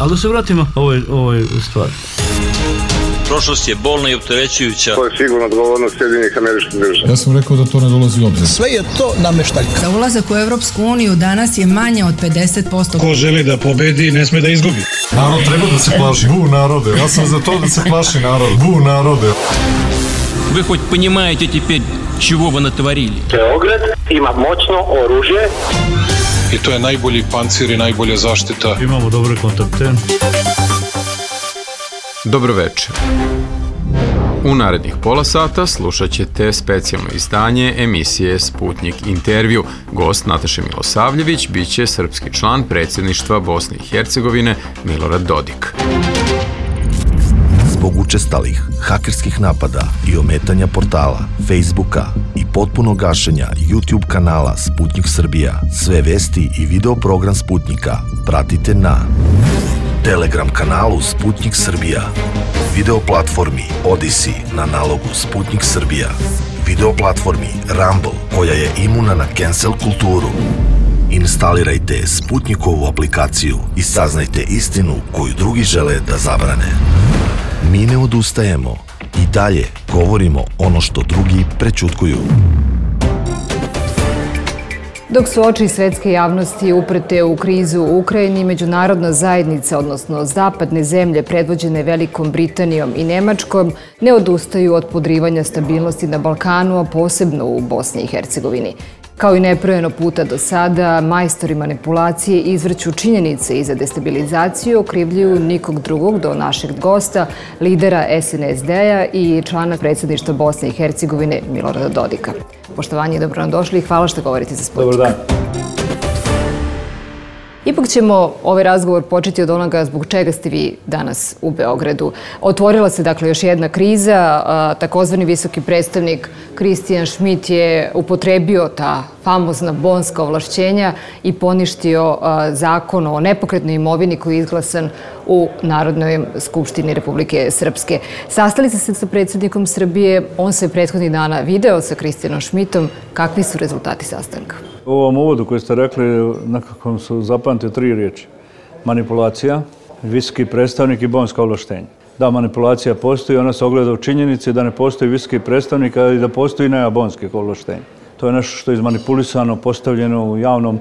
Ali da se vratimo ovoj stvari. Prošlost je bolna i opterećujuća. To je sigurno odgovornost Sjedinjenih Američkih Država. Ja sam rekao da to ne dolazi u obzir. Sve je to nameštaljka. Za ulazak u Evropsku uniju danas je manje od 50%. Ko želi da pobedi, ne sme da izgubi. Narod treba da se plaši. Bu narode. Ja sam za to da se plaši narod. Bu narode. Вы хоть понимаете теперь, чего вы натворили? Beograd ima moćno oružje. I to je najbolji pancir i najbolja zaštita. Imamo dobre kontakte. Dobro večer. U narednih pola sata slušat ćete specijalno izdanje emisije Sputnik intervju. Gost Nataše Milosavljević biće srpski član predsjedništva Bosne i Hercegovine Milorad Dodik. Zbog učestalih hakerskih napada i ometanja portala, Facebooka i potpuno gašenja YouTube kanala Sputnik Srbija, sve vesti i video program Sputnika pratite na Telegram kanalu Sputnik Srbija, video platformi Odyssey na nalogu Sputnik Srbija, video platformi Rumble koja je imuna na cancel kulturu. Instalirajte Sputnikovu aplikaciju i saznajte istinu koju drugi žele da zabrane. Mi ne odustajemo i dalje govorimo ono što drugi prećutkuju. Dok su oči svetske javnosti uprete u krizu u Ukrajini, međunarodna zajednica, odnosno zapadne zemlje predvođene Velikom Britanijom i Nemačkom, ne odustaju od podrivanja stabilnosti na Balkanu, a posebno u Bosni i Hercegovini. Kao i nebrojeno puta do sada, majstori manipulacije izvrću činjenice i za destabilizaciju okrivljuju nikog drugog do našeg gosta, lidera SNSD-a i člana predsjedništva Bosne i Hercegovine Milorada Dodika. Poštovanje i dobro nam došli i hvala što govorite za Sputnik. Dobar dan. Ipak ćemo ovaj razgovor početi od onoga zbog čega ste vi danas u Beogradu. Otvorila se dakle još jedna kriza, takozvani visoki predstavnik Christian Schmidt je upotrebio ta famozna bonska ovlašćenja i poništio zakon o nepokretnoj imovini koji je izglasan u Narodnoj skupštini Republike Srpske. Sastali ste se sa predsjednikom Srbije, on se prethodnih dana video sa Christianom Schmidtom. Kakvi su rezultati sastanka? U ovom uvodu koji ste rekli, nekako su zapamtile 3 riječi. Manipulacija, visoki predstavnik i bonska ovlaštenja. Da, manipulacija postoji, ona se ogleda u činjenici da ne postoji visoki predstavnik, ali da postoji nema bonskih ovlaštenja. To je nešto što je izmanipulisano, postavljeno u javnom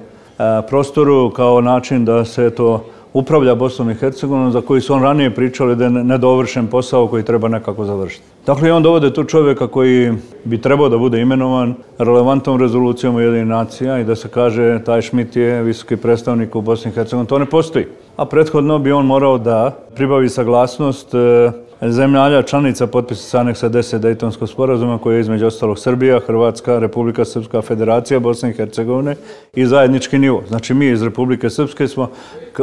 prostoru kao način da se to upravlja Bosnom i Hercegovinom, za koji su on ranije pričali da je nedovršen posao koji treba nekako završiti. Dakle, on dovode tu čovjeka koji bi trebao da bude imenovan relevantnom rezolucijom Ujedinjenih nacija i da se kaže taj Schmidt je visoki predstavnik u Bosni i Hercegovini. To ne postoji. A prethodno bi on morao da pribavi saglasnost zemalja članica potpisnica aneksa 10 Dejtonskog sporazuma koji je između ostalog Srbija, Hrvatska, Republika Srpska, Federacija Bosne i Hercegovine i zajednički nivo. Znači mi iz Republike Srpske smo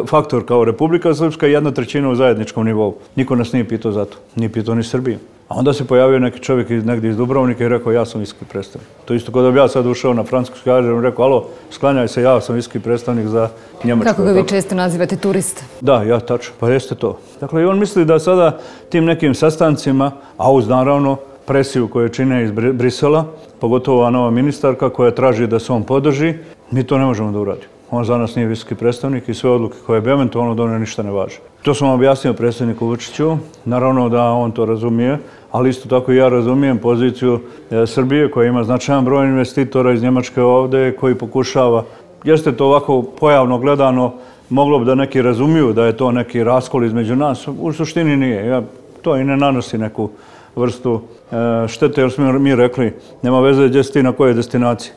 faktor kao Republika Srpska i 1/3 u zajedničkom nivou. Niko nas nije pitao za to. Nije pitao ni Srbiju. A onda se pojavio neki čovjek negdje iz Dubrovnika i rekao ja sam visoki predstavnik. To isto kao da bi ja sad ušao na francusku kažem i rekao alo, sklanjaj se, ja sam visoki predstavnik za Njemačku. Kako ga vi često nazivate turista? Da, ja tačno, pa jeste to. Dakle, i on misli da sada tim nekim sastancima, a uz naravno presiju koje čine iz Brisela, pogotovo ova nova ministarka koja traži da se on podrži, mi to ne možemo da uradimo. On za nas nije visoki predstavnik i sve odluke koje bi eventualno donio ništa ne važe. To sam objasnio predsjedniku Vučiću, naravno da on to razumije, ali isto tako i ja razumijem poziciju Srbije koja ima značajan broj investitora iz Njemačke ovdje koji pokušava, jeste to ovako pojavno gledano, moglo bi da neki razumiju da je to neki raskol između nas, u suštini nije. To i ne nanosi neku vrstu štete jer smo mi rekli nema veze gdje si ti na kojoj destinaciji.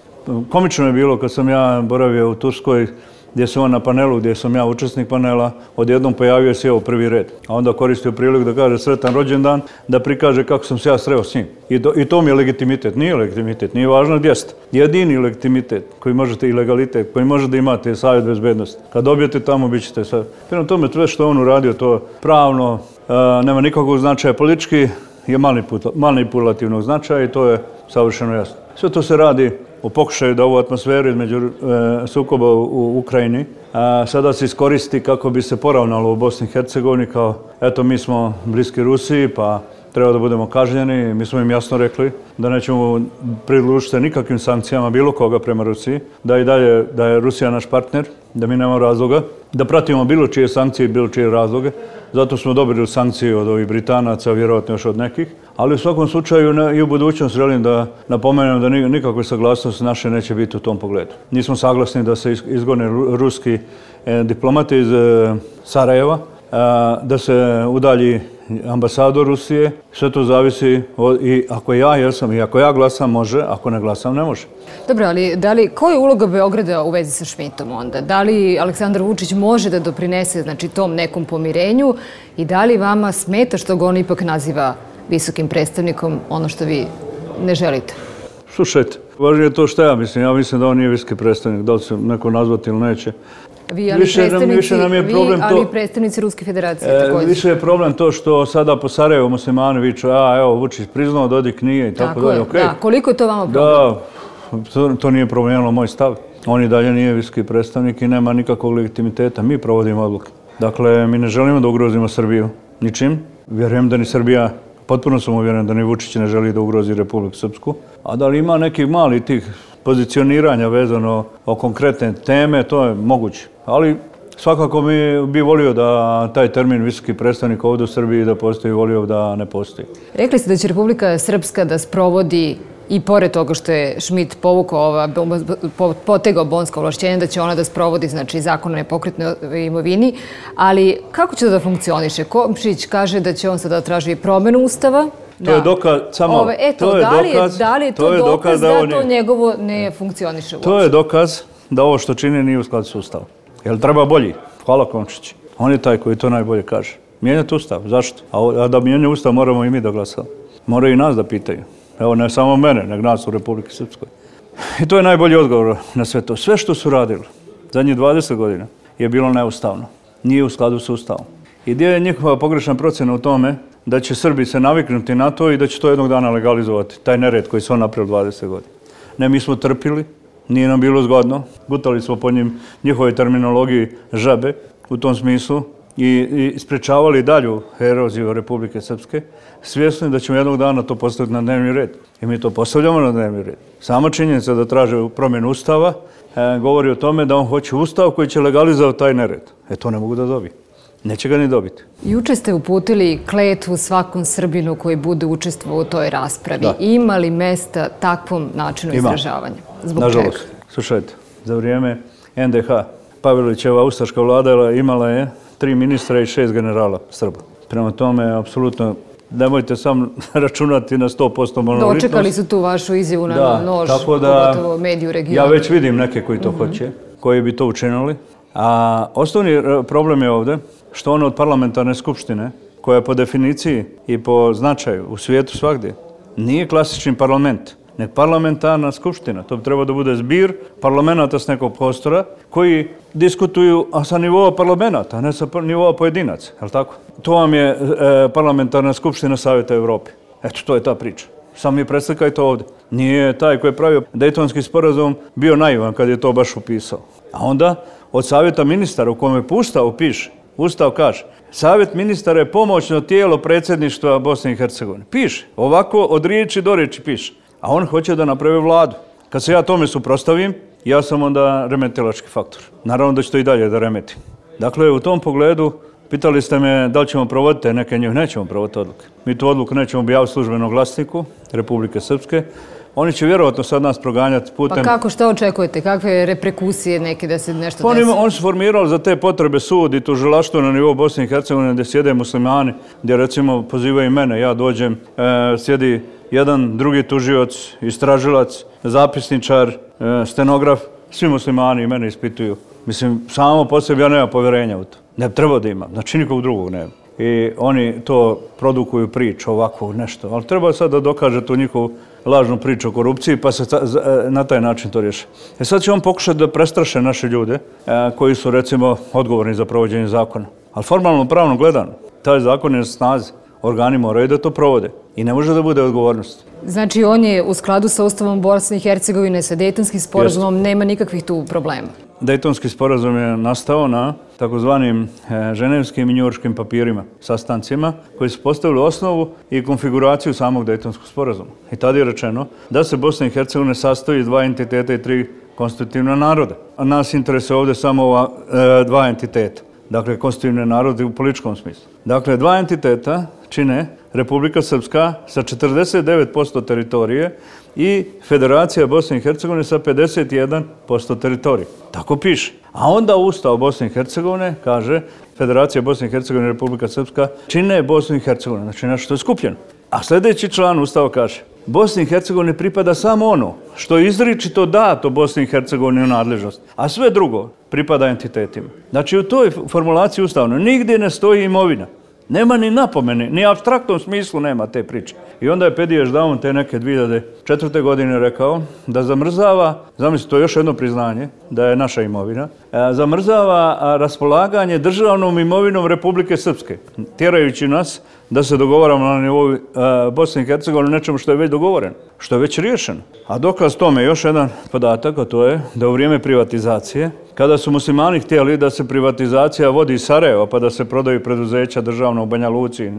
Komično je bilo kad sam ja boravio u Turskoj gdje sam on na panelu, gdje sam ja učesnik panela, odjednom pojavio se u prvi red. A onda koristio priliku da kaže sretan rođendan, da prikaže kako sam se ja sreo s njim. I to mi je legitimitet. Nije legitimitet, nije važno gdje ste. Jedini legitimitet koji možete i legalitet, koji možete imati je Savjet bezbednosti. Kad dobijete tamo, bit ćete sad. Prema tome, sve što on uradio, to pravno nema nikakvog značaja. Politički je manipulativnog značaja i to je savršeno jasno. Sve to se radi u pokušaju da ovu atmosferu između sukoba u Ukrajini sada se iskoristi kako bi se poravnalo u Bosni i Hercegovini kao eto mi smo bliski Rusiji pa treba da budemo kažnjeni. Mi smo im jasno rekli da nećemo pridružiti nikakvim sankcijama bilo koga prema Rusiji, da i dalje da je Rusija naš partner, da mi nemamo razloga, da pratimo bilo čije sankcije i bilo čije razloge. Zato smo dobili sankcije od ovih Britanaca, vjerojatno još od nekih. Ali u svakom slučaju i u budućnosti želim da napomenem da nikakve saglasnosti naše neće biti u tom pogledu. Nismo saglasni da se izgone ruski diplomati iz Sarajeva, da se udalji ambasador Rusije. Sve to zavisi i ako ja jesam i ako ja glasam može, ako ne glasam ne može. Dobro, ali koja je uloga Beograda u vezi sa Šmitom onda? Da li Aleksandar Vučić može da doprinese tom nekom pomirenju i da li vama smeta što ga on ipak naziva visokim predstavnikom, ono što vi ne želite? Slušajte, važnije je to što ja mislim. Ja mislim da on nije visoki predstavnik, da li se neko nazvati ili neće. Ali predstavnici Ruske federacije također. Više je problem to što sada po Sarajevu muslimani viču, evo Vučić priznao, Dodik nije i tako dalje. Da, koliko je to vama problem? Da, to nije promijenilo moj stav. On i dalje nije visoki predstavnik i nema nikakvog legitimiteta. Mi provodimo odluke. Dakle, mi ne želimo da ugrozimo Srbiju ničim. Vjerujem da ni Srbija, potpuno sam uvjeren da ni Vučić ne želi da ugrozi Republiku Srpsku. A da li ima nekih malih tih pozicioniranja vezano o konkretne teme, to je moguće. Ali svakako bi volio da taj termin visoki predstavnik ovdje u Srbiji da postoji, volio da ne postoji. Rekli ste da će Republika Srpska da sprovodi i pored toga što je Šmit potegao bonska ovlašćenja, da će ona da sprovodi zakon o nepokretnoj imovini, ali kako će to da funkcioniše? Komšić kaže da će on sada traži promjenu Ustava. To je dokaz, samo da li je to dokaz da to njegovo ne funkcioniše uopšte? To je dokaz da ovo što čini nije u skladu s Ustavom. Jel treba bolji? Hvala Komšić. On je taj koji to najbolje kaže. Mijenjati Ustav. Zašto? A da mijenja Ustav moramo i mi da glasamo. Moraju i nas da pitaju. Evo, ne samo mene, nego nas u Republiki Srpskoj. I to je najbolji odgovor na sve to. Sve što su radili zadnjih 20 godina je bilo neustavno. Nije u skladu s Ustavom. I gdje je njihova pogrešna procjena u tome da će Srbi se naviknuti na to i da će to jednog dana legalizovati, taj nered koji su on napravili 20 godina. Ne, mi smo trpili, nije nam bilo zgodno, gutali smo po njihovoj terminologiji žabe u tom smislu i sprečavali dalju eroziju Republike Srpske, svjesni da ćemo jednog dana to postaviti na dnevni red. I mi to postavljamo na dnevni red. Sama činjenica da traže promjenu Ustava govori o tome da on hoće Ustav koji će legalizovati taj nered. To ne mogu da dobiju. Neće ga ni dobiti. Juče ste uputili kletvu svakom Srbinu koji bude učestvovao u toj raspravi. Ima li mesta takvom načinu izražavanja? Zbog čega? Nažalost. Slušajte, za vrijeme NDH Pavelićeva ustaška vlada imala je 3 ministra i 6 generala Srba. Prema tome, apsolutno, nemojte sam računati na 100% monolitnost. Dočekali su tu vašu izjavu na nož, pogotovo mediju regionu. Ja već vidim neke koji to hoće, koji bi to učinili. A osnovni problem je ovdje što on od parlamentarne skupštine, koja po definiciji i po značaju u svijetu svagdje, nije klasični parlament, nek parlamentarna skupština. To bi trebalo da bude zbir parlamenta s nekog prostora koji diskutuju sa nivoa parlamenta, a ne sa nivoa pojedinaca. Je li tako? To vam je parlamentarna skupština Savjeta Evrope. Eto, to je ta priča. Samo mi preslikajte ovdje. Nije taj koji je pravio Dejtonski sporazum bio naivan kad je to baš upisao. A onda od Savjeta ministara u kome po Ustavu piše, Ustav kaže, Savjet ministara je pomoćno tijelo predsjedništva Bosne i Hercegovine. Piše, ovako od riječi do riječi piše. A on hoće da napravi vladu. Kad se ja tome suprotstavim, ja sam onda remetilački faktor. Naravno da će to i dalje da remetim. Dakle, u tom pogledu, pitali ste me da li ćemo provoditi neke njih, nećemo provoditi odluke. Mi tu odluku nećemo objaviti u službenom glasniku Republike Srpske. Oni će vjerovatno sad nas proganjati putem... Pa kako, što očekujete? Kakve reperkusije neke da se nešto desi? Oni su formirali za te potrebe sud i tužilaštvo na nivou Bosne i Hercegovine gdje sjede muslimani, gdje recimo pozivaju mene, ja dođem, sjedi jedan, drugi tužioc, istražilac, zapisničar, stenograf, svi muslimani i mene ispituju. Mislim, samo po sebi ja nemam povjerenja u to. Ne treba da imam, znači nikog drugog nema. I oni to produkuju priču ovako nešto, ali treba sad da dokaže tu njihovu lažnu priču o korupciji pa se na taj način to riješi. Sad će on pokušati da prestraše naše ljude koji su recimo odgovorni za provođenje zakona. Ali formalno pravno gledano, taj zakon je na snazi. Organi moraju da to provode i ne može da bude odgovornost. Znači on je u skladu sa Ustavom Bosne i Hercegovine, sa Dejtonskim sporazumom, nema nikakvih tu problema? Dejtonski sporazum je nastao na takozvanim ženevskim i njujorškim papirima, sastancima, koji su postavili osnovu i konfiguraciju samog Dejtonskog sporazuma. I tada je rečeno da se Bosna i Hercegovina sastoji iz 2 entiteta i 3 konstitutivna naroda. A nas interesuje ovdje samo ova 2 entiteta. Dakle, konstitutivne narode u političkom smislu. Dakle, 2 entiteta čine Republika Srpska sa 49% teritorije i Federacija Bosne i Hercegovine sa 51% teritorije. Tako piše. A onda Ustav Bosne i Hercegovine kaže Federacija Bosne i Hercegovine i Republika Srpska čine Bosnu i Hercegovinu, znači nešto je skupljeno. A sljedeći član Ustava kaže Bosni i Hercegovini pripada samo ono što je izričito dato Bosni i Hercegovini u nadležnost, a sve drugo pripada entitetima. Znači u toj formulaciji ustavnoj nigdje ne stoji imovina. Nema ni napomene, ni apstraktnom smislu nema te priče. I onda je Pedijež Daum te neke 2004. godine rekao da zamrzava, zamislite, to je još jedno priznanje, da je naša imovina, zamrzava raspolaganje državnom imovinom Republike Srpske, tjerajući nas da se dogovaramo na nivou Bosne i Hercegovine nečemu što je već dogovoreno, što je već riješeno. A dokaz tome još jedan podatak, a to je da u vrijeme privatizacije, kada su muslimani htjeli da se privatizacija vodi iz Sarajeva, pa da se prodaju preduzeća državna u Banja Luci,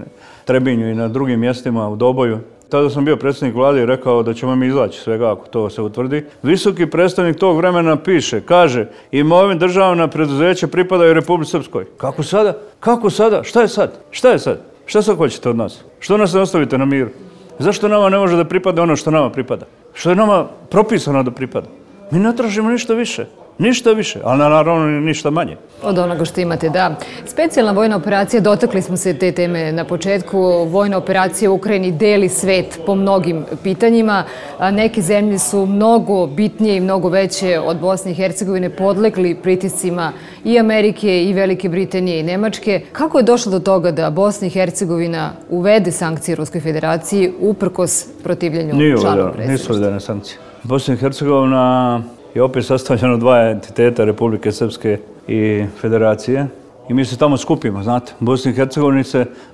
Trebinju i na drugim mjestima u Doboju, tada sam bio predsjednik vlade i rekao da ćemo mi izaći svega ako to se utvrdi. Visoki predstavnik tog vremena kaže imovina državna preduzeća pripadaju Republici Srpskoj. Kako sada? Kako sada? Šta je sad? Šta je sad? Šta sad hoćete od nas? Što nas ne ostavite na miru? Zašto nama ne može da pripada ono što nama pripada? Što je nama propisano da pripada? Mi ne tražimo ništa više. Ništa više, ali naravno ništa manje. Od onoga što imate, da. Specijalna vojna operacija, dotakli smo se te teme na početku. Vojna operacija u Ukrajini deli svet po mnogim pitanjima. Neke zemlje su mnogo bitnije i mnogo veće od Bosne i Hercegovine, podlegli pritiscima i Amerike i Velike Britanije i Nemačke. Kako je došlo do toga da Bosna i Hercegovina uvede sankcije Ruskoj federaciji uprkos protivljenju članova predsjedništva? Nisu uvedene sankcije. Bosna i Hercegovina je opet sastavljeno 2 entiteta Republike Srpske i Federacije i mi se tamo skupimo, znate. U Bosni i Hercegovini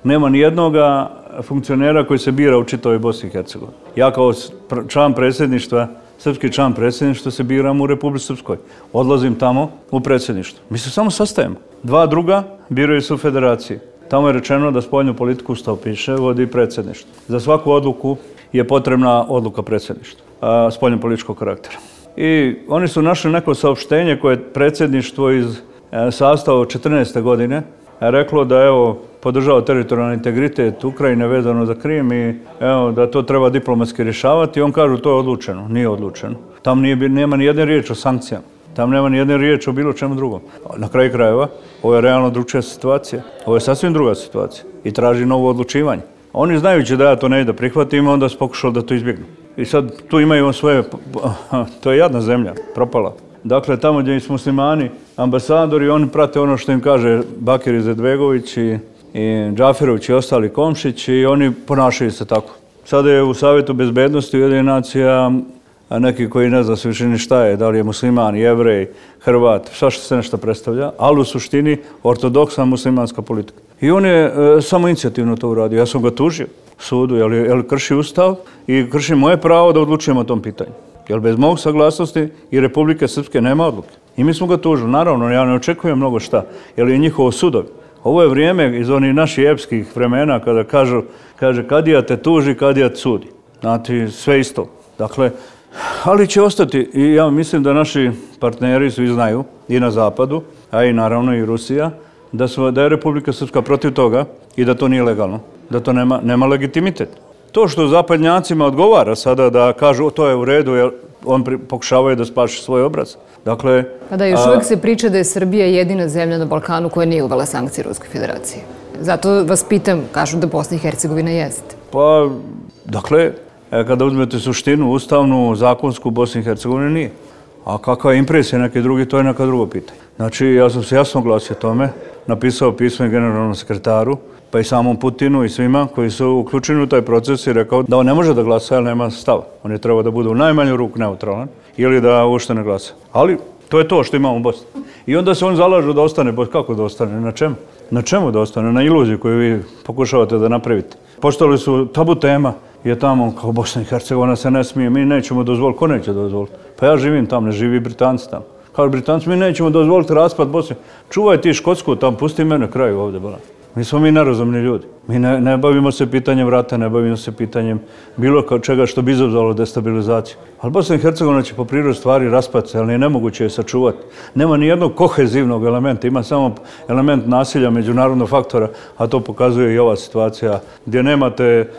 nema ni jednoga funkcionera koji se bira u čitavoj Bosni i Hercegovini. Ja kao član predsjedništva, srpski član predsjedništva se biram u Republici Srpskoj. Odlazim tamo u predsjedništvo. Mi se samo sastajemo. 2 druga biraju se u Federaciji. Tamo je rečeno da spoljnu politiku, Ustav piše, vodi predsjedništvo. Za svaku odluku je potrebna odluka predsjedništva, spoljno političkog karaktera. I oni su našli neko saopštenje koje je predsjedništvo iz sastava 14. godine reklo da podržava teritorijalni integritet Ukrajine vezano za Krim i da to treba diplomatski rješavati. I on kaže to je odlučeno. Nije odlučeno. Tam nema ni jedne riječ o sankcijama. Tam nema ni jedne riječ o bilo čemu drugom. Na kraju krajeva, ovo je realno drugčija situacija. Ovo je sasvim druga situacija i traži novo odlučivanje. Oni znajući da ja to ne da prihvatim, onda su pokušali da to izbjegnu. I sad tu imaju svoje, to je jadna zemlja, propala. Dakle, tamo gdje su muslimani, ambasadori, oni prate ono što im kaže Bakir Izetbegović i Džaferović i ostali Komšić i oni ponašaju se tako. Sada je u Savjetu bezbednosti Ujedinjenih nacija neki koji ne zna se više ni šta je, da li je musliman, jevrej, Hrvat, svašta se nešto predstavlja, ali u suštini ortodoksna muslimanska politika. I on je samo inicijativno to uradio. Ja sam ga tužio sudu, jer krši Ustav i krši moje pravo da odlučujemo o tom pitanju. Jer bez mog saglasnosti i Republike Srpske nema odluke. I mi smo ga tužili. Naravno, ja ne očekujem mnogo šta, jer je njihovo sudovi. Ovo je vrijeme iz onih naših epskih vremena kada kaže kadija te tuži, kadija te sudi. Znači, sve isto. Dakle, ali će ostati i ja mislim da naši partneri svi znaju i na zapadu, a i naravno i Rusija, da je Republika Srpska protiv toga i da to nije legalno, da to nema legitimitet. To što zapadnjacima odgovara sada da kažu to je u redu jer on pokušavaju da spaši svoj obraz. Dakle, da još uvijek se priča da je Srbija jedina zemlja na Balkanu koja nije uvela sankcije Ruskoj federaciji. Zato vas pitam, kažu da Bosna i Hercegovina jeste. Pa, dakle, kada uzmete suštinu, ustavnu, zakonsku, Bosni i Hercegovine nije. A kakva je impresija neki drugi, to je neka drugo pitanje. Znači, ja sam se jasno glasio tome, napisao pismo i generalnom sekretaru, pa i samom Putinu i svima koji su uključeni u taj proces i rekao da on ne može da glasa, jer nema stava. On je trebao da bude u najmanju ruku neutralan ili da uopšte ne glasa. Ali to je to što imamo u Bosni. I onda se oni zalažu da ostane, kako da ostane, na čemu? Na čemu da ostane? Na iluziju koju vi pokušavate da napravite. Postali su tabu tema, je tamo kao Bosna i Hercegovina se ne smije, mi nećemo dozvoliti. Ko neće dozvoliti? Pa ja živim tamo, ne živi Britanci tamo. Kao Britanci, mi nećemo dozvoliti raspad Bosne. Čuvaj ti Škotsku, tam pusti mene kraju ovdje. Mi smo nerazumni ljudi. Mi ne bavimo se pitanjem rata, ne bavimo se pitanjem bilo čega što bi izazvalo destabilizaciju. Ali Bosna i Hercegovina će po prirodi stvari raspati se, ali nemoguće je sačuvati. Nema ni jednog kohezivnog elementa, ima samo element nasilja međunarodnog faktora, a to pokazuje i ova situacija gdje nemate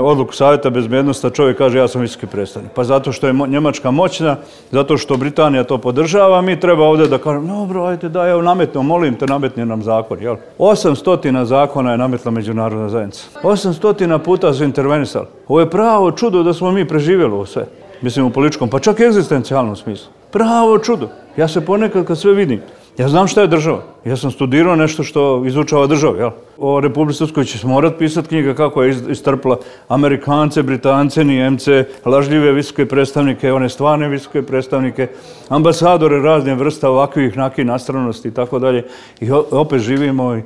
odluku Savjeta bezbednosti, a čovjek kaže ja sam visoki predstavnik. Pa zato što je Njemačka moćna, zato što Britanija to podržava, mi treba ovdje da kažem, dobro, ajde da, evo nametno, molim te, nametni nam zakon. 800 zakona je nametla međunarodna zajednica. 800 puta su intervenisali. Ovo je pravo čudo da smo mi preživjeli ovo sve. Mislim u političkom, pa čak i egzistencijalnom smislu. Pravo čudo. Ja se ponekad kad sve vidim, ja znam šta je država. Ja sam studirao nešto što izučava državu, jel? O Republici Srpskoj će se morat pisati knjiga kako je istrpla Amerikance, Britance, Nijemce, lažljive visoke predstavnike, one stvarne visoke predstavnike, ambasadore razne vrsta ovakvih nakih nastranosti i tako dalje. I opet živimo i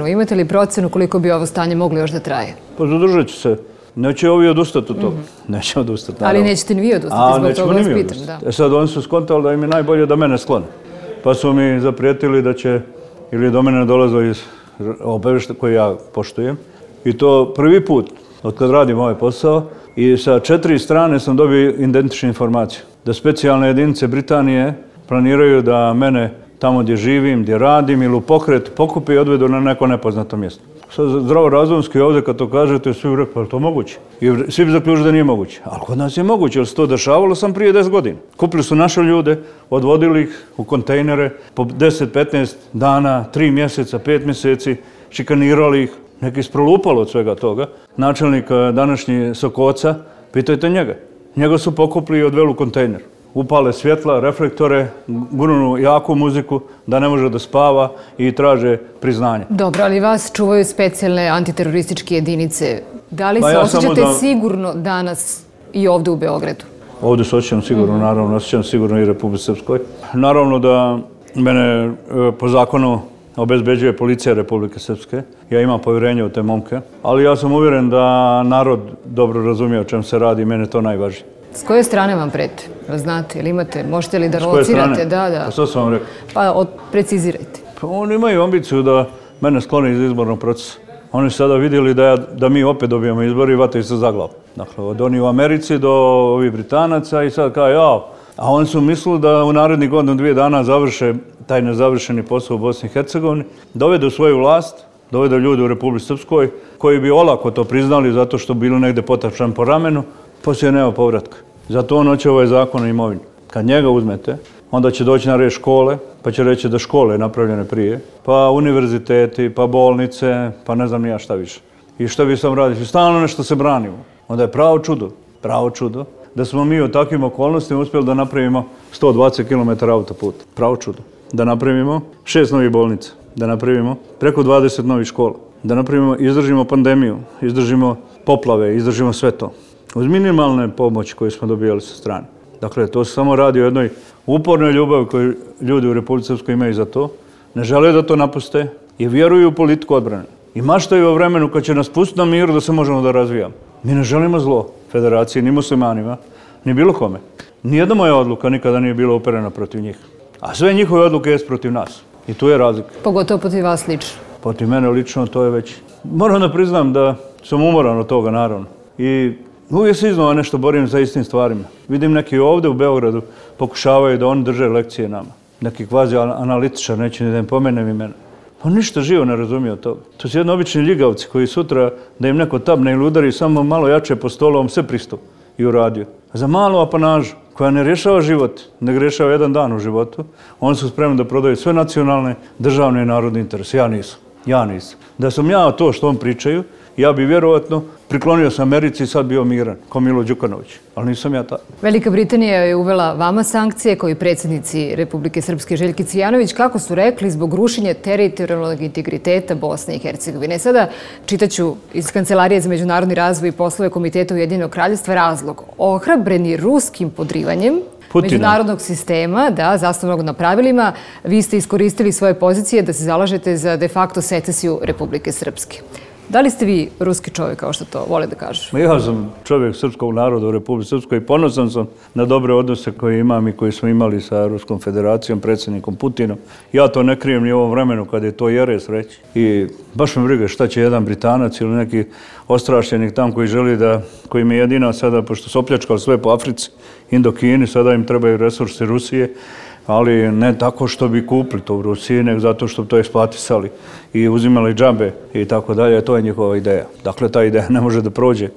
Imate li procenu koliko bi ovo stanje moglo još da traje? Pa zadržat će se. Neće ovi odustati od toga. Neće odustati. Ali nećete ni vi odustati, zbog toga vas pitam. Sad oni su skontali da im je najbolje da mene sklone. Pa su mi zaprijetili da će, ili do mene dolaze iz obavještaja koje ja poštujem. I to prvi put od kad radim ovaj posao i sa 4 strane sam dobio identičnu informaciju. Da specijalne jedinice Britanije planiraju da mene tamo gdje živim, gdje radim ili u pokret pokupi i odvedu na neko nepoznato mjesto. Sad zdravorazumski ovdje kad to kažete, svi rekli, pa je to moguće? I svi bi zaključili da nije moguće. Ali kod nas je moguće, jer se to dešavalo sam prije 10 godina. Kupili su naše ljude, odvodili ih u kontejnere po 10-15 dana, 3 mjeseca, 5 mjeseci, šikanirali ih, neki isprolupalo od svega toga. Načelnik današnji Sokoca, pitajte njega. Njega su pokupili i odveli u kontejner. Upale svjetla, reflektore, gurnu jaku muziku, da ne može da spava i traže priznanje. Dobro, ali vas čuvaju specijalne antiterorističke jedinice. Da li se osjećate sigurno danas i ovdje u Beogradu? Ovdje se osjećam sigurno, naravno, osjećam sigurno i Republici Srpskoj. Naravno da mene po zakonu obezbeđuje policija Republike Srpske. Ja imam povjerenje u te momke, ali ja sam uvjeren da narod dobro razumije o čem se radi i mene to najvažnije. S koje strane vam prete? Znate, ili imate, možete li da locirate? Da. Pa što sam vam rekao? Pa precizirajte. Pa oni imaju ambiciju da mene sklone iz izbornog procesa. Oni su sada vidjeli da mi opet dobijemo izbori i vataju se za glavu. Dakle, od oni u Americi do ovih Britanaca i sad kao jao. A oni su mislili da u narednih godinu 2 dana završe taj nezavršeni posao u Bosni i Hercegovini, dovedu svoju vlast, dovedu ljudi u Republici Srpskoj koji bi olako to priznali zato što bili negdje potapšan po ramenu, poslije nema povratka. Zato on hoće ovaj zakon o imovini. Kad njega uzmete, onda će doći na red škole, pa će reći da škole je napravljene prije, pa univerziteti, pa bolnice, pa ne znam ni ja šta više. I šta vi sam radite? Stalno nešto se branimo. Onda je pravo čudo, da smo mi u takvim okolnostima uspjeli da napravimo 120 km autoputa. Pravo čudo. Da napravimo 6 novih bolnica, da napravimo preko 20 novih škola, da napravimo, izdržimo pandemiju, izdržimo poplave, izdržimo sve to. Uz minimalne pomoći koje smo dobijali sa strane. Dakle, to se samo radi o jednoj upornoj ljubavi koju ljudi u Republici Srpskoj imaju za to. Ne žele da to napuste i vjeruju u politiku odbrane. I maštaju o vremenu kad će nas pustiti na miru da se možemo da razvijamo. Mi ne želimo zlo federaciji, ni muslimanima, ni bilo kome. Nijedna moja odluka nikada nije bila uperena protiv njih. A sve njihove odluke jest protiv nas. I tu je razlika. Pogotovo protiv vas lično. Protiv mene lično to je već. Moram da priznam da sam umoran od toga, naravno. I uvijek se iznova nešto borim za istim stvarima. Vidim neki ovdje u Beogradu pokušavaju da oni drže lekcije nama. Neki kvazi analitičar, neće ni da im pomenem imena. On ništa živo ne razumije od toga. To su jedno obični ljigavci koji sutra da im neko tabne ili udari samo malo jače po stolu, on sve pristup i uradio. Za malu apanažu koja ne rješava život, ne rješava jedan dan u životu, oni su spremni da prodaju sve nacionalne, državne i narodne interese. Ja nisam. Da sam ja to što on pričaju, ja bi vjerovatno priklonio se Americi i sad bio miran, kao Milo Đukanović. Ali nisam ja tako. Velika Britanija je uvela vama sankcije, kao i predsjednici Republike Srpske Željki Cvijanović, kako su rekli, zbog rušenja teritorijalnog integriteta Bosne i Hercegovine. Sada čitaću iz Kancelarije za međunarodni razvoj i poslove Komiteta Ujedinjenog kraljevstva razlog. Ohrabreni ruskim podrivanjem međunarodnog sistema, zasnovanog na pravilima, vi ste iskoristili svoje pozicije da se zalažete za de facto secesiju Republike Srpske. Da li ste vi ruski čovjek, kao što to vole da kažu? Ja sam čovjek srpskog naroda u Republici Srpskoj i ponosan sam na dobre odnose koje imam i koje smo imali sa Ruskom federacijom, predsjednikom Putinom. Ja to ne krijem ni u ovom vremenu kad je to jeres reći. I baš me briga šta će jedan Britanac ili neki ostrašćenik tam koji želi da, koji mi je jedina sada, pošto su opljačkali sve po Africi, Indokini, sada im trebaju resursi Rusije, ali ne tako što bi kupili to u Rusiji, nego zato što bi to eksploatisali i uzimali džabe i tako dalje. To je njihova ideja. Dakle, ta ideja ne može da prođe.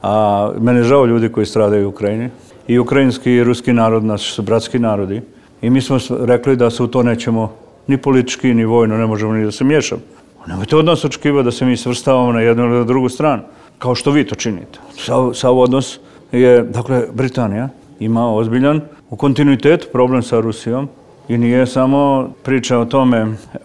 A mene je žao ljudi koji stradaju u Ukrajini. I ukrajinski i ruski narod, naši su bratski narodi. I mi smo rekli da se u to nećemo ni politički, ni vojno, ne možemo ni da se miješamo. Nemojte od nas očekivati da se mi svrstavamo na jednu ili na drugu stranu, kao što vi to činite. Sav odnos je, dakle, Britanija ima ozbiljan u kontinuitetu problem sa Rusijom i nije samo priča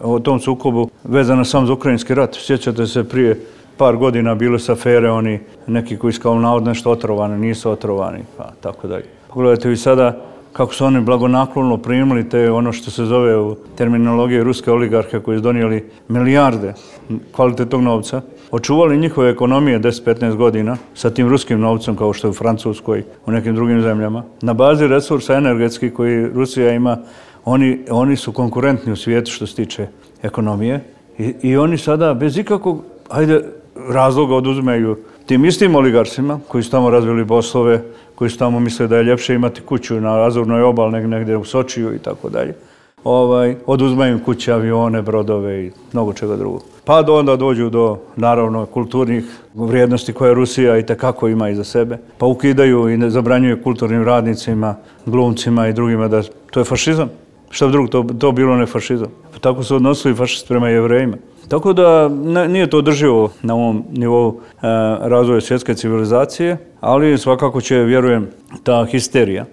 o tom sukobu vezana samo za ukrajinski rat. Sjećate se prije par godina bile su afere, oni neki koji su kao navodno nešto otrovani, nisu otrovani, pa tako dalje. Pogledajte vi sada kako su oni blagonaklono primili te ono što se zove u terminologiji ruske oligarhe koji su donijeli milijarde kvalitetnog novca, očuvali njihove ekonomije 10-15 godina sa tim ruskim novcem kao što je u Francuskoj, u nekim drugim zemljama. Na bazi resursa energetskih koji Rusija ima, oni su konkurentni u svijetu što se tiče ekonomije i oni sada bez ikakvog razloga oduzmeju tim istim oligarsima koji su tamo razvili poslove, koji su tamo misle da je ljepše imati kuću na Azurnoj obali negdje u Sočiju i tako dalje. Oduzmaju im kuće, avione, brodove i mnogo čega drugog. Pa onda dođu do, naravno, kulturnih vrijednosti koje Rusija i tekako ima iza sebe. Pa ukidaju i ne zabranjuju kulturnim radnicima, glumcima i drugima da to je fašizam. Šta bi drugo, to bilo ne fašizam. Pa tako su odnosili fašisti prema Jevrejima. Tako da nije to održivo na ovom nivou razvoja svjetske civilizacije, ali svakako će, vjerujem, ta histerija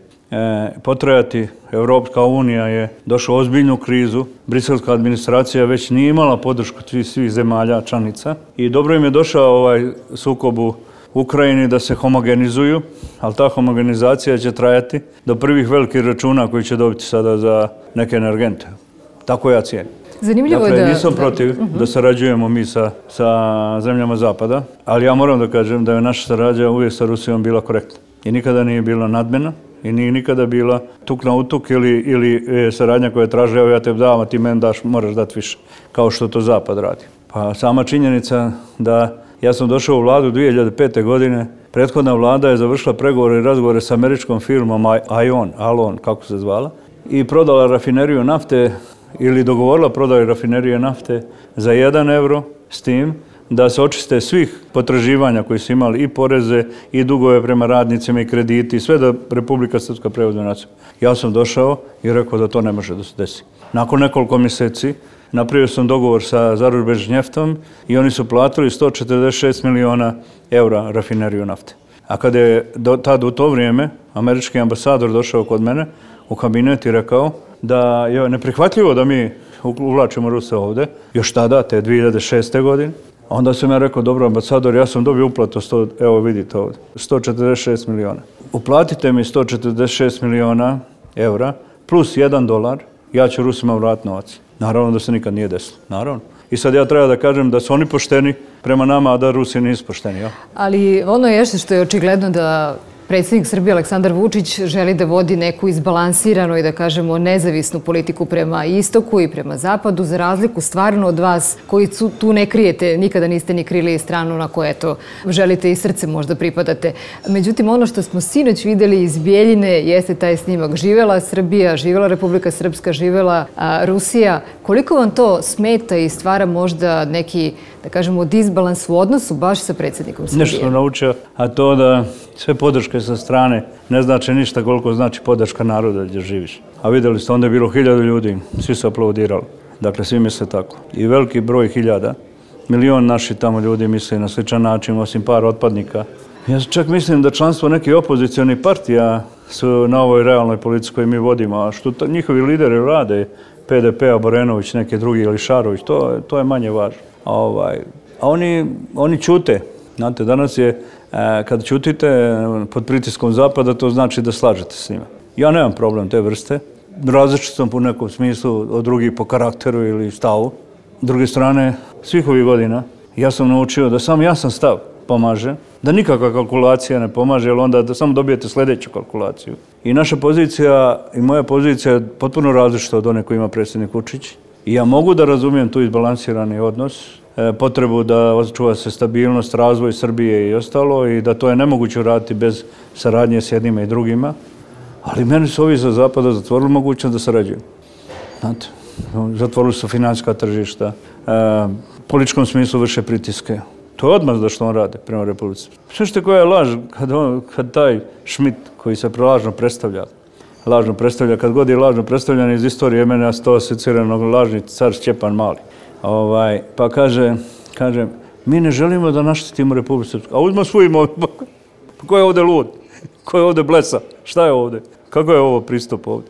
potrajati. Europska unija je došla u ozbiljnu krizu. Briselska administracija već nije imala podršku svih zemalja članica i dobro im je došao ovaj sukob u Ukrajini da se homogenizuju, ali ta homogenizacija će trajati do prvih velikih računa koji će dobiti sada za neke energente. Tako ja cijenim. Zanimljivo je dakle, nisam protiv da sarađujemo mi sa zemljama Zapada, ali ja moram da kažem da je naša saradnja uvijek sa Rusijom bila korektna i nikada nije bila nadmena i nije nikada bila tuk na utuk ili saradnja koja traže evo ja te dam, a ti meni daš, moraš dati više, kao što to Zapad radi. Pa sama činjenica da ja sam došao u vladu 2005. godine, prethodna vlada je završila pregovore i razgovore sa američkom firmom Alon, kako se zvala, i prodala rafineriju nafte ili dogovorila prodaju rafinerije nafte za 1 euro s tim da se očiste svih potraživanja koji su imali i poreze i dugove prema radnicima i krediti, sve da Republika Srpska preuzme na sebe. Ja sam došao i rekao da to ne može da se desi. Nakon nekoliko mjeseci napravio sam dogovor sa Zarubežnjeftom i oni su platili 146 miliona eura rafineriju nafte. A kada je tad u to vrijeme američki ambasador došao kod mene u kabinet i rekao da je neprihvatljivo da mi uvlačimo Ruse ovdje, još tada, te 2006. godine. Onda sam ja rekao, dobro ambasador, ja sam dobio uplatu, evo vidite ovdje, 146 miliona. Uplatite mi 146 miliona eura plus $1, ja ću Rusima vratiti novac. Naravno da se nikad nije desilo, naravno. I sad ja treba da kažem da su oni pošteni prema nama, a da Rusi nisu pošteni. Ja? Ali ono je što je očigledno da predsjednik Srbije Aleksandar Vučić želi da vodi neku izbalansiranu i da kažemo nezavisnu politiku prema istoku i prema zapadu, za razliku stvarno od vas koji tu ne krijete, nikada niste ni krili stranu na koje to želite i srce možda pripadate. Međutim, ono što smo sinoć vidjeli iz Bijeljine jeste taj snimak. Živela Srbija, živela Republika Srpska, živela Rusija. Koliko vam to smeta i stvara možda neki, da kažemo, disbalans u odnosu baš sa predsjednikom Srbije? Nešto sam naučio, a to da sve podrške sa strane ne znači ništa koliko znači podrška naroda gdje živiš. A vidjeli ste, onda je bilo 1000 ljudi, svi su aplaudirali. Dakle, svi misle tako. I veliki broj 1000, milion naših tamo ljudi misle na sličan način, osim par otpadnika. Ja čak mislim da članstvo nekih opozicionih partija su na ovoj realnoj politici koju mi vodimo, a što njihovi lideri rade, PDP-a, Borenović, neki drugi ili Šarović, to je manje važno. A oni ćute. Znate, danas je, kad ćutite pod pritiskom Zapada, to znači da slažete s njima. Ja nemam problem te vrste. Različit sam po nekom smislu od drugih po karakteru ili stavu. S druge strane, svih ovih godina Ja sam naučio da samo jasan stav pomaže, da nikakva kalkulacija ne pomaže, jer onda da samo dobijete sljedeću kalkulaciju. I naša pozicija i moja pozicija je potpuno različita od one koju ima predsjednik Vučić. I ja mogu da razumijem tu izbalansirani odnos, potrebu da očuva se stabilnost, razvoj Srbije i ostalo i da to je nemoguće raditi bez saradnje s jednima i drugima. Ali meni su ovi sa zapada zatvorili mogućnost da sarađuju. Znate, zatvorili su financijska tržišta, u političkom smislu vrše pritiske. To je odmazda što on rade prema Republici. Sve koja je laž, kad taj Schmidt koji se lažno predstavlja, kad god je lažno predstavljan iz istorije, mene to asocirano lažni car Stjepan Mali. Pa kaže, mi ne želimo da naštetimo Republiku Srpsku. A uzmo svu imovinu. Ko je ovdje lud? Ko je ovdje blesa? Šta je ovdje? Kako je ovo pristup ovdje?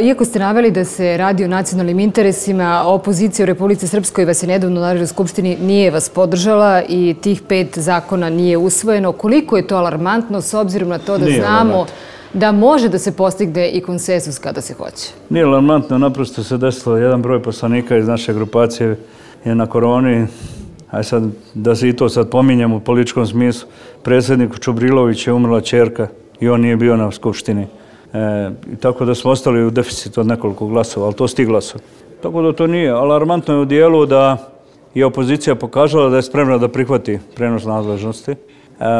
Iako ste naveli da se radi o nacionalnim interesima, opozicija u Republici Srpskoj vas je nedavno u Narodnoj skupštini nije vas podržala i tih 5 zakona nije usvojeno. Koliko je to alarmantno s obzirom na to da znamo da može da se postigne i konsenzus kada se hoće? Nije alarmantno, naprosto se desilo jedan broj poslanika iz naše grupacije je na koroni. A sad, da se i to sad pominjem u političkom smislu, predsjedniku Čubrilović je umrla ćerka i on nije bio na skupštini. Tako da smo ostali u deficitu od nekoliko glasova, ali to sti glasovi. Tako da to nije. Alarmantno je u dijelu da je opozicija pokazala da je spremna da prihvati prenos nadležnosti.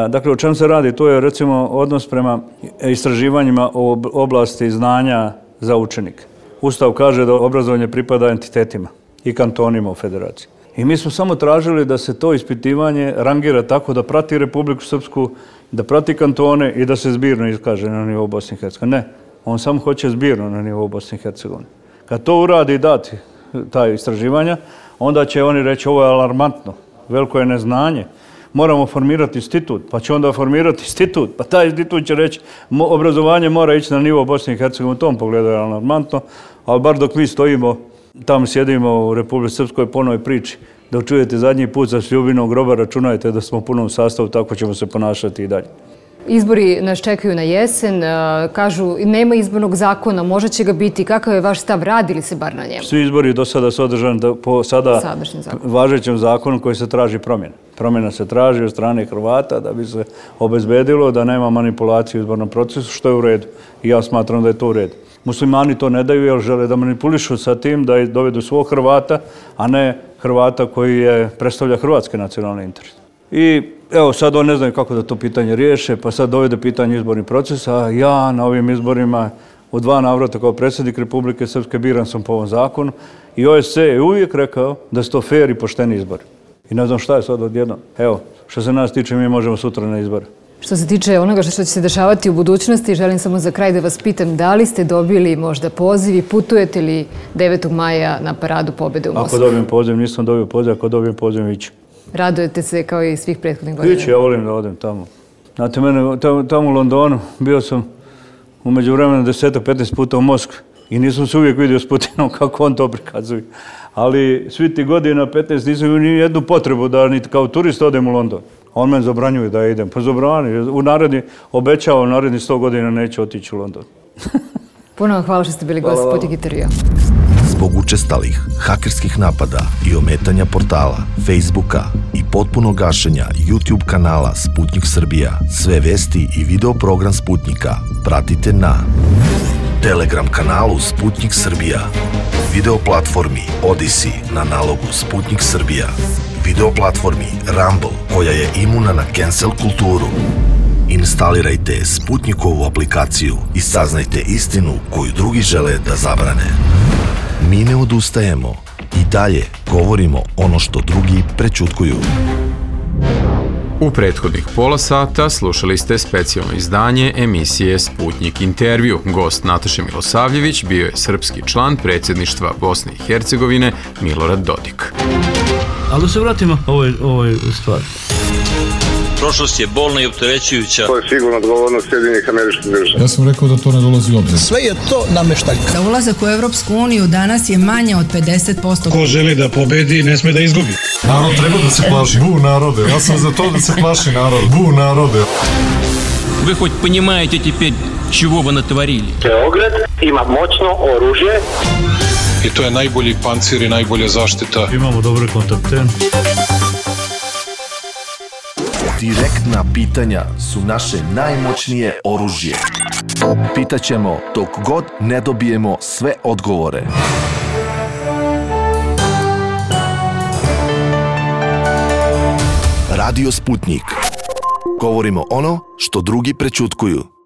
Dakle, o čem se radi? To je recimo odnos prema istraživanjima o oblasti znanja za učenike. Ustav kaže da obrazovanje pripada entitetima i kantonima u federaciji. I mi smo samo tražili da se to ispitivanje rangira tako da prati Republiku Srpsku, da prati kantone i da se zbirno iskaže na nivou Bosne i Hercegovine. Ne, on samo hoće zbirno na nivou Bosne i Hercegovine. Kad to uradi i dati ta istraživanja, onda će oni reći ovo je alarmantno, veliko je neznanje. Moramo formirati institut, pa će onda formirati institut, pa taj institut će reći obrazovanje mora ići na nivou Bosne i Hercegovine, u tom pogledu je alarmantno, ali bar dok mi stojimo, tamo sjedimo u Republici Srpskoj po onoj priči, da čujete zadnji put za Sljubinog groba, računajte da smo u punom sastavu, tako ćemo se ponašati i dalje. Izbori nas čekaju na jesen, kažu nema izbornog zakona, možda će ga biti. Kakav je vaš stav, radi li se bar na njemu? Svi izbori do sada su održani po sada važećem zakonu koji se traži promjena. Promjena se traži od strane Hrvata da bi se obezbedilo da nema manipulacije u izbornom procesu, što je u redu. I ja smatram da je to u redu. Muslimani to ne daju jer žele da manipulišu sa tim, da dovedu svog Hrvata, a ne Hrvata koji predstavlja hrvatske nacionalne interese. I evo sad on ne znaju kako da to pitanje riješe, pa sad dovede pitanje izbornih procesa, a ja na ovim izborima u 2 navrata kao predsjednik Republike Srpske biran sam po ovom zakonu i OSCE je uvijek rekao da su to fair i pošteni izbori. I ne znam šta je sad odjednom. Evo, što se nas tiče, mi možemo sutra na izbore. Što se tiče onoga što će se dešavati u budućnosti, želim samo za kraj da vas pitam da li ste dobili možda poziv i putujete li 9. maja na Paradu pobjede u Moskvi? Ako dobijem poziv, nisam dobio poziv, ako dobijem poziv, ići. Radujete se kao i svih prethodnih godina? Ići, ja volim da odem tamo. Znate, mene tamo u Londonu, bio sam u međuvremenu 10-15 puta u Moskvi i nisam se uvijek vidio s Putinom kako on to prikazuje. Ali svi ti godina 15 nisam imao ni jednu potrebu da ni kao turist odem u London. On me zabranjuje da idem. Pa zabrani. Obećao, u narednih 100 godina neće otići u London. Puno vam hvala što ste bili gost Sputnik intervjua. Zbog učestalih hakerskih napada i ometanja portala, Facebooka i potpunog gašenja YouTube kanala Sputnik Srbija, sve vesti i video program Sputnika pratite na Telegram kanalu Sputnik Srbija, video platformi Odyssey na nalogu Sputnik Srbija, video platformi Rumble koja je imuna na cancel kulturu. Instalirajte Sputnikovu aplikaciju i saznajte istinu koju drugi žele da zabrane. Mi ne odustajemo i dalje govorimo ono što drugi prećutkuju. U prethodnih pola sata slušali ste specijalno izdanje emisije Sputnik intervju. Gost Nataše Milosavljević bio je srpski član predsjedništva Bosne i Hercegovine Milorad Dodik. Ali da se vratimo ovoj stvari. Prošlost je bolna i opterećujuća. To je sigurno odgovornost Sjedinjenih Američkih Država. Ja sam rekao da to ne dolazi u obzir. Sve je to nameštaljka. Za ulazak u Evropsku uniju danas je manje od 50%. Ko želi da pobedi, ne sme da izgubi. Narod treba da se plaši. Bu narode. Ja sam za to da se plaši narod. Bu narode. Вы хоть понимаете теперь, чего вы натворили? Beograd ima moćno oružje. I to je najbolji pancir i najbolja zaštita. Imamo dobre kontakte. Direktna pitanja su naše najmoćnije oružje. Pitaćemo dok god ne dobijemo sve odgovore. Radio Sputnik. Govorimo ono što drugi prećutkuju.